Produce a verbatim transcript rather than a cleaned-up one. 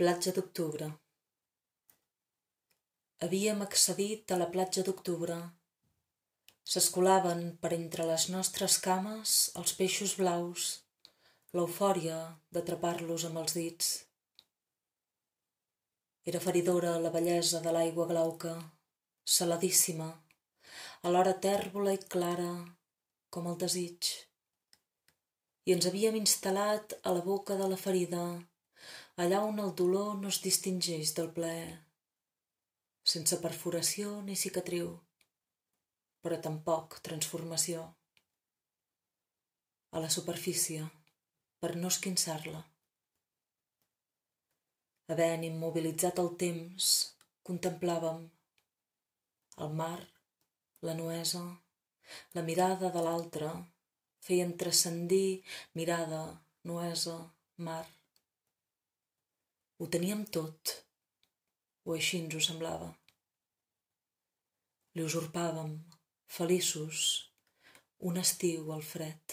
Platja d'octubre. Havíem accedit a la platja d'octubre. S'escolaven per entre les nostres cames els peixos blaus, l'eufòria d'atrapar-los amb els dits. Era feridora la bellesa de l'aigua glauca, saladíssima, alhora tèrbola i clara com el desig. I ens havíem instal·lat a la boca de la ferida, allà on el dolor no es distingeix del plaer, sense perforació ni cicatriu, però tampoc transformació. A la superfície, per no esquinçar-la. Havent immobilitzat el temps, contemplàvem el mar, la nuesa, la mirada de l'altre, feien transcendir mirada, nuesa, mar. Ho teníem tot, o així ens ho semblava. Li usurpàvem, feliços, un estiu al fred.